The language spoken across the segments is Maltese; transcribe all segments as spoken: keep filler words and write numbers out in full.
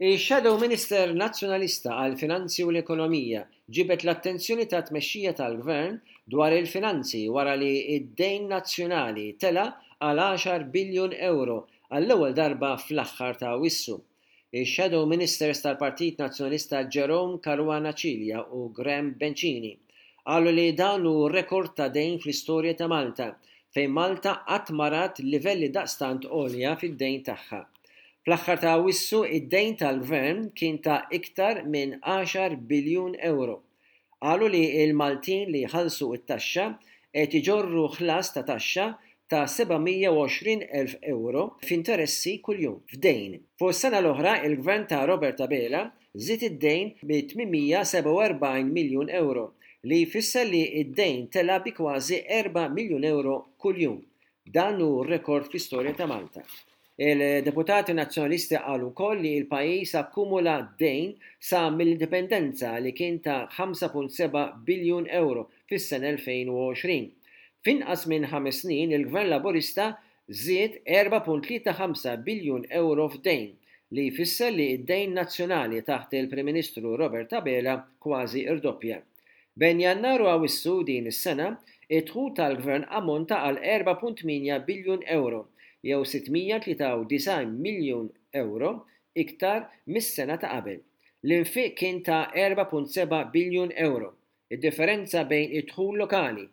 Ix-Shadow Minister Nazzjonalista għall-Finanzi u l-Ekonomija ġibed l-attenzjoni tat-tmexxija tal-Gvern dwar il-finanzi wara li d-dejn nazzjonali tela' għal għaxar biljun ewro għall-ewwel darba fl-aħħar ta' Awwissu. Ix-Shadow Ministers tal-Partit Nazzjonalista Jerome Caruana Cilia u Graham Bencini qalu li dan hu rekord ta' dejn fl-istorja ta' Malta, fejn Malta qatt ma rat livelli daqstant għolja fid-dejn tagħha. Fl-aħħar ta' Awwissu id-dejn tal-Gvern kien ta' iktar minn għaxar biljun ewro. Qalu li l-Maltin li jħallsu t-taxxa qed iġorru ħlas ta' taxxa ta' seba' mija u għoxrin elf ewro f'interessi kuljum f'dejn. Fuq is-sena l-oħra il-Gvern ta' Robert Abela żied id-dejn bi tmien mija sebgħa u erbgħin miljun ewro, li jfisser li d-dejn tela' bi kważi erba' miljun ewro kuljum. Dan hu rekord fl-istorja ta' Malta. Il-deputati nazzjonalisti qalu wkoll li l-pajjiż akkumula dejn sa mill-indipendenza li kien ta' ħamsa punt seba' biljun ewro fis-sena elfejn u għoxrin. F'inqas minn ħames snin il-Gvern Laburista żied erba' punt tlieta ħamsa biljun ewro f'dejn, li jfisser li d-dejn nazzjonali taħt il-Prim Ministru Robert Abela kważi rdoppja. Bejn Jannar u Awwissu din is-sena, id-dħul tal-Gvern ammonta għal erba' punt tmienja biljun ewro, jew sitt mija tlieta u disgħin miljun ewro iktar mis-sena ta' qabel. L-infiq kien ta' erba' punt seba' biljun ewro. Id-differenza bejn id-dħul lokali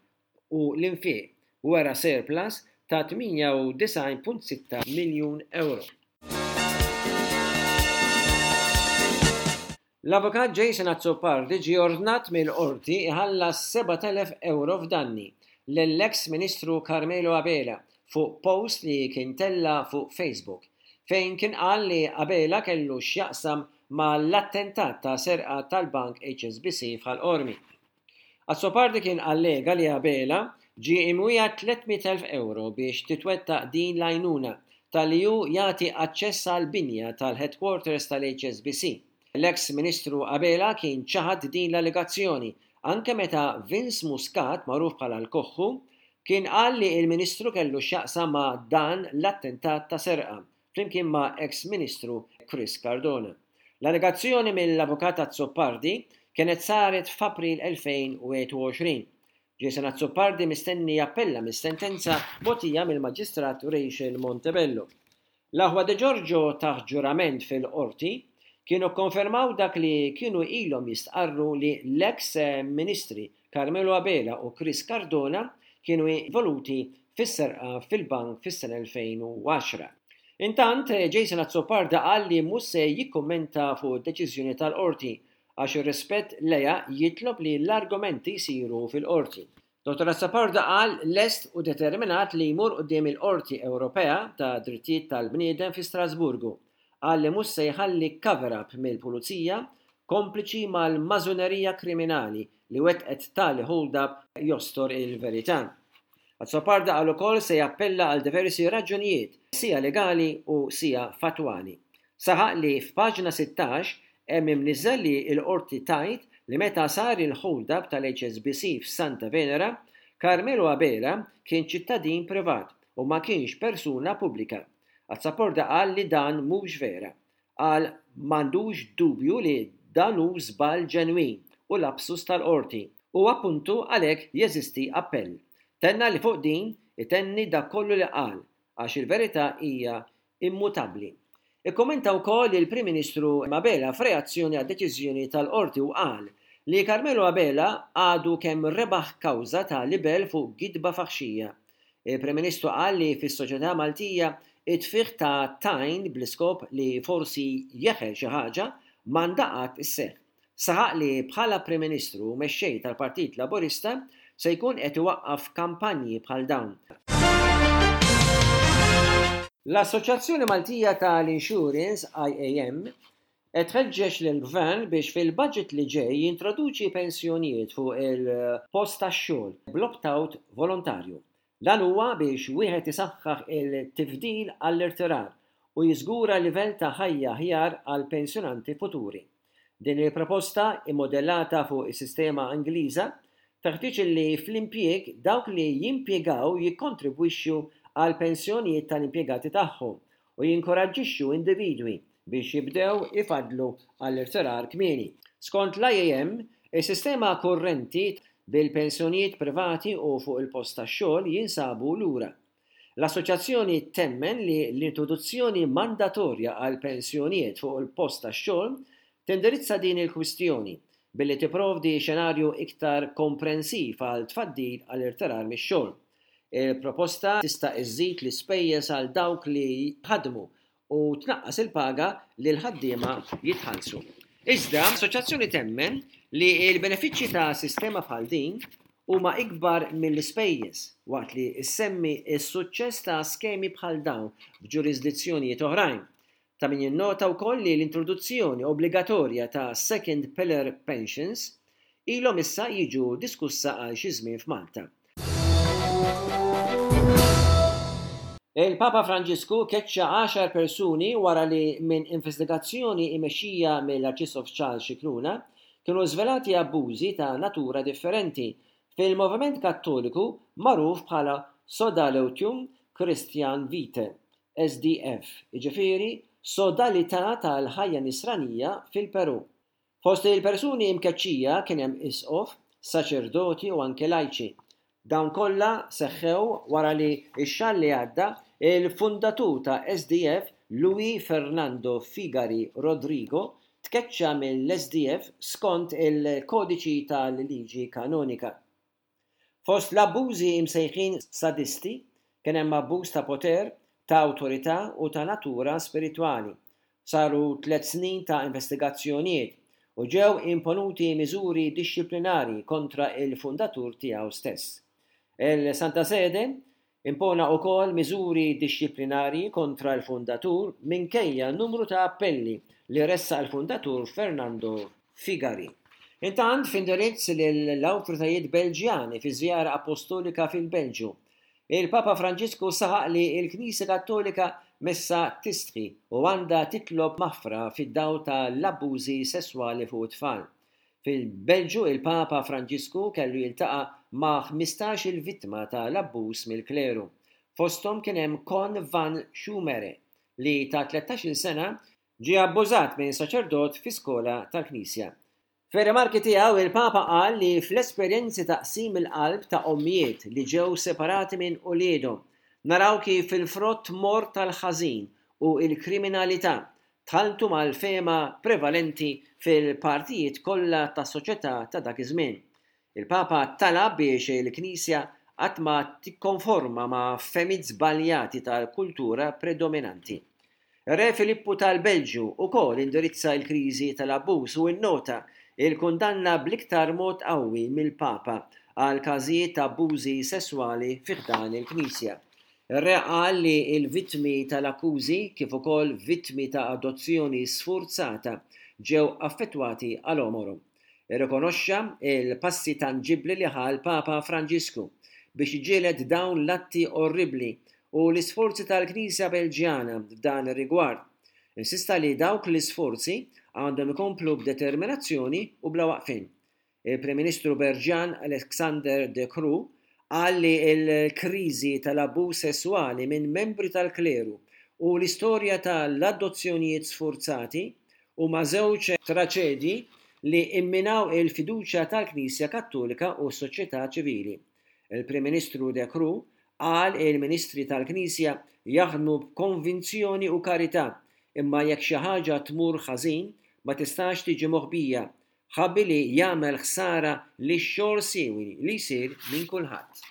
u l-infiq wera surplus ta' tmienja u disgħin punt sitta miljun ewro. L-avukat Jason Azzopardi ġie ordnat mill-qorti iħallas sebat elef ewro f'danni lill-eks Ministru Carmelo Abela fuq post li kien tella' fuq Facebook, fejn kien qal li Abela kellu x'jaqsam mal-attentat ta' serqa tal-bank H S B C f'Ħal Qormi. Azzopardi kien allega li Abela ġie imwiegħed tliet mitt elf ewro biex titwettaq din l-għajnuna talli hu jagħti aċċess għall-binja tal-headquarters tal-H S B C. L-eks Ministru Abela kien ċaħad din l-allegazzjoni anke meta Vince Muscat, magħruf bħala l-Koħħu, kien qal li l-Ministru kellu x'jaqsam ma' dan l-attentat ta' serqa flimkien ma' eks-Ministru Chris Cardona. L-allegazzjoni mill-avukat Azzopardi kienet saret f'April elfejn u wieħed u għoxrin. Jason Azzopardi mistenni jappella mis-sentenza mogħtija mill-Maġistrat Rachel Montebello. L-aħwa De Giorgio taħt ġurament fil-qorti kienu konfermaw dak li kienu ilhom jistqarru li l-eks ministri Carmelo Abela u Chris Cardona kienu involuti fis-serqa fil-bank fis-sena elfejn u għaxra. Intant, Jason Azzopardi qal li mhux se jikkummenta fuq id-deċiżjoni tal-qorti għax ir-rispett lejha jitlob li l-argumenti jsiru fil-qorti. Dottor Azzopardi qal lest u determinat li jmur quddiem il-Qorti Ewropea ta' Drittijiet tal-Bniedem fi Strasburgu. Qal li mhux se jħalli cover-up mill-pulizija kompliċi mal-mażunerija kriminali li wettqet tali hold-up jostor il-verità. Azzopardi qal ukoll se jappella għal diversi raġunijiet, sija legali u sija fatwali. Saħaq li f'paġna sittax hemm imniżżel li l-qorti tajt li meta sar il-hold-up tal-H S B C f'Santa Venera, Carmelo Abela kien ċittadin privat u ma kienx persuna pubblika. Azzopardi qal li dan mhux vera. Qal m'għandux dubju li dan hu żball ġenwin u lapsus tal-qorti u appuntu għalhekk jeżisti appell. Tenna li fuq din itenni dak kollu li qal għax il-verità hija immutabbli. Ikkommenta wkoll il-Prim Ministru Abela f'reazzjoni għad-deċiżjoni tal-qorti u qal li Carmelo Abela għadu kemm rebaħ kawża ta' libel fuq gidba faħxija. Il-Prim Ministru qal li fis-soċjetà Maltija it-tfigħ ta' tajn bl-iskop li forsi jeħel xi ħaġa m'għandha qatt isseħħ. Saħaq li bħala Prim Ministru u mexxej tal-Partit Laburista se jkun qed iwaqqaf kampanji bħal dawn. L-Assoċjazzjoni Maltija tal-Insurance I A M qed tħeġġeġ lill-Gvern biex fil-budget li ġej jintroduċi pensjonijiet fuq il-post tax-xogħol bl-opt-out volontarju. Dan huwa biex wieħed isaħħaħ il-tifdil għall-irtirar u jiżgura livell ta' ħajja aħjar għal pensjonanti futuri. Din il-proposta immodellata fuq is-sistema Ingliża teħtieġ li fl-impjieg dawk li jimpjegaw jikkontribwixxu għal pensjonijiet tal-impjegati tagħhom u jinkoraġġixxu individwi biex jibdew ifaddlu għall-irtirar kmieni. Skont l-I A M, is-sistema kurrenti bil-pensjonijiet privati u fuq il-post tax-xogħol jinsabu lura. L-assoċjazzjoni temmen li l-introduzzjoni mandatorja għal pensjonijiet fuq il-post tax-xogħol tindirizza din il-kwistjoni billi tipprovdi xenarju iktar komprensiv għal tfaddil għal irtirar mix-xogħol. Il-proposta tista' iżżid l-ispejjeż għal dawk li ħadmu u tnaqqas il-paga li l-ħaddiema jitħallsu. Iżda, l-assoċjazzjoni temmen li l-benefiċċji ta' sistema bħal din huma ikbar mill-ispejjeż, waqt li ssemmi s-suċċess ta' skemi bħal dawn f'ġurisdizzjonijiet oħrajn. Ta' min jinnota wkoll li l-introduzzjoni obbligatorja ta' second pillar pensions ilhom issa jiġu diskussa għal xi żmien f'Malta. Il-Papa Franġisku keċċa għaxar persuni wara li minn investigazzjoni imexxija mill-Arċisqof Charles Scicluna kienu żvelati abbużi ta' natura differenti fil-moviment Kattoliku magħruf bħala Sodalitium Christianae Vitae, S D F, jiġifieri Sodalità tal-Ħajja Nisranija fil-Peru. Fost il-persuni imkeċċija kien hemm isqof, saċerdoti u anke lajċi. Dawn kollha seħħew wara li x-xahar li għadda il-fundatur ta' S D F, Luis Fernando Figari Rodrigo, tkeċċa mill-S D F skont il-kodiċi tal-liġi kanonika. Fost l-abbużi imsejħin sadisti kien hemm abbuż ta' poter, ta' awtorità u ta' natura spiritwali. Saru tliet snin ta' investigazzjonijiet u ġew imponuti miżuri dixxiplinari kontra il-fundatur tiegħu stess. Il-Santa Sede impona wkoll miżuri dixxiplinari kontra l-fundatur minkejja numru ta' appelli li ressaq il-fundatur Fernando Figari. Intant, f'indirizz lill-awtoritajiet Belġjani fi żjara apostolika fil-Belġju, il-Papa Franġisku saħaq li l-Knisja Kattolika messa tistħi u għandha titlob maħfra fid-dawl tal-abbużi sesswali fuq it-tfal. Fil-Belġju, il-Papa Franġisku kellu jiltaqa' ma' ħmistax-il vittma tal-abbuż mill-kleru. Fosthom kien hemm Con van Schumere, li ta' tlettax-il sena ġie abbużat minn saċerdot fi skola tal-Knisja. Fir-rimarki tiegħu, il-Papa qal li fl-esperjenzi ta' qsim il-qalb ta' ommijiet li ġew separati minn uliedhom, naraw kif il-frott morr tal-ħażin u l-kriminalità tħalltu mal-fehma prevalenti fil-partijiet kollha tas-soċjetà ta' dak iż-żmien. Il-Papa talab biex il-Knisja qatt ma tikkonforma ma' fehmiet żbaljati tal-kultura predominanti. Re Filippu tal-Belġju ukoll indirizza l-kriżi tal-abbuż u innota il-kundanna bl-iktar mod qawwi mill-Papa għal każijiet ta' abbużi sesswali fi ħdan il-Knisja. Ir-re qal li l-vittmi tal-akkużi, kif ukoll vittmi ta' adozzjoni sfurzata, ġew affettwati għal għomorhom. Irrikonoxxa il-passi tanġibbli li ħa l-Papa Franġisku biex jiġġieled dawn l-atti orribli u l-isforzi tal-Knisja Belġjana f'dan ir-rigward. Insista li dawk l-isforzi għandhom ikomplu b'determinazzjoni u bla waqfin. Il-Prim Ministru Belġjan Alexander De Croo qal li l-kriżi tal-abbuż sesswali minn membri tal-kleru u l-istorja tal-adozzjonijiet sfurzati huma żewġ traċedji li imminaw il-fiduċja tal-Knisja Kattolika u s-soċjetà ċivili. Il-Prim Ministru De Croo qal il-Ministri tal-Knisja jaħdmu b'konvinzjoni u karità, imma jekk xi ħaġa tmur ħażin ma tistax tiġi moħbija, ħabbi li jagħmel ħsara lix-xogħol siewi li jsir minn kulħadd.